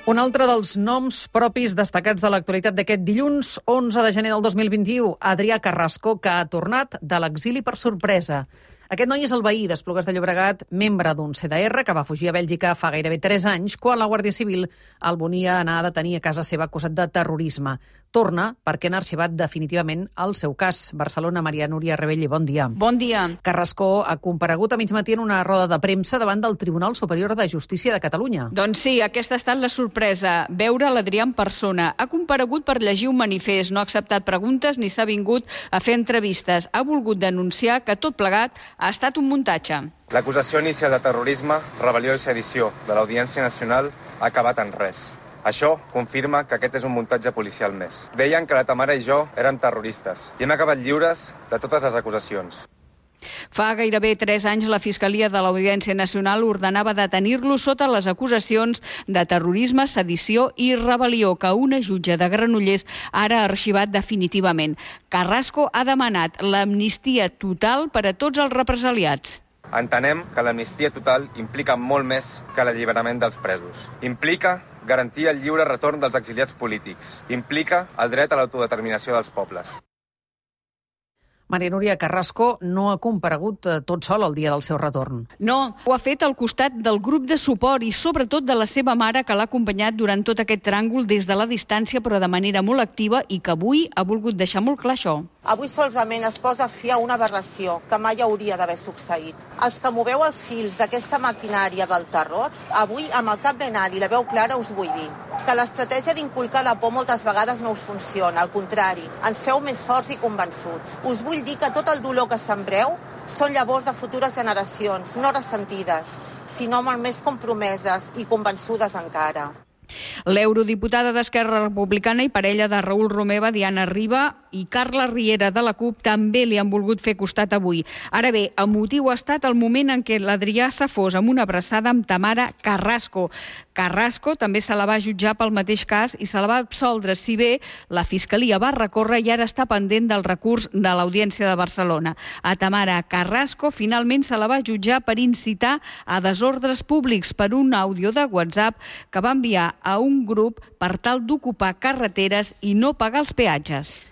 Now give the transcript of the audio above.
Un altre dels noms propis destacats de l'actualitat d'aquest dilluns, 11 de gener del 2021, Adrià Carrasco, que ha tornat de l'exili per sorpresa. Aquest noi és el veí d'Esplugues de Llobregat, membre d'un CDR que va fugir a Bèlgica fa gairebé 3 anys, quan la Guàrdia Civil el volia anar a detenir a casa seva acusat de terrorisme. Torna perquè han arxivat definitivament el seu cas. Barcelona, Maria Núria Rebelli, bon dia. Bon dia. Carrasco ha comparegut a mig matí en una roda de premsa davant del Tribunal Superior de Justícia de Catalunya. Doncs sí, aquesta ha estat la sorpresa, veure l'Adrià en persona. Ha comparegut per llegir un manifest, no ha acceptat preguntes ni s'ha vingut a fer entrevistes. Ha volgut denunciar que tot plegat ha estat un muntatge. L'acusació inicial de terrorisme, rebel·lió i sedició de l'Audiència Nacional ha acabat en res. Això confirma que aquest és un muntatge policial més. Deien que la Tamara i jo érem terroristes i hem acabat lliures de totes les acusacions. Fa gairebé 3 anys la Fiscalia de l'Audiència Nacional ordenava detenir-lo sota les acusacions de terrorisme, sedició i rebel·lió que una jutge de Granollers ara ha arxivat definitivament. Carrasco ha demanat l'amnistia total per a tots els represaliats. Entenem que l'amnistia total implica molt més que l'alliberament dels presos. Implica garantir el lliure retorn dels exiliats polítics. Implica el dret a l'autodeterminació dels pobles. Maria Núria, Carrasco no ha comparegut tot sol el dia del seu retorn. No, ho ha fet al costat del grup de suport i sobretot de la seva mare, que l'ha acompanyat durant tot aquest tràngol des de la distància, però de manera molt activa, i que avui ha volgut deixar molt clar això. Avui solament es posa fi a una aberració que mai hauria d'haver succeït. Els que moveu els fils d'aquesta maquinària del terror, avui amb el cap ben alt i la veu clara us vull dir que l'estratègia d'inculcar la por moltes vegades no us funciona, al contrari, ens feu més forts i convençuts. Us vull dir que tot el dolor que sembreu són llavors de futures generacions, no ressentides, sinó molt més compromeses i convençudes encara. L'eurodiputada d'Esquerra Republicana i parella de Raül Romeva, Diana Riba, i Carla Riera de la CUP també li han volgut fer costat avui. Ara bé, emotiu ha estat el moment en què l'Adrià s'afós amb una abraçada amb Tamara Carrasco. Carrasco també se la va jutjar pel mateix cas i se la va absoldre, si bé la Fiscalia va recórrer i ara està pendent del recurs de l'Audiència de Barcelona. A Tamara Carrasco finalment se la va jutjar per incitar a desordres públics per un àudio de WhatsApp que va enviar a un grup per tal d'ocupar carreteres i no pagar els peatges.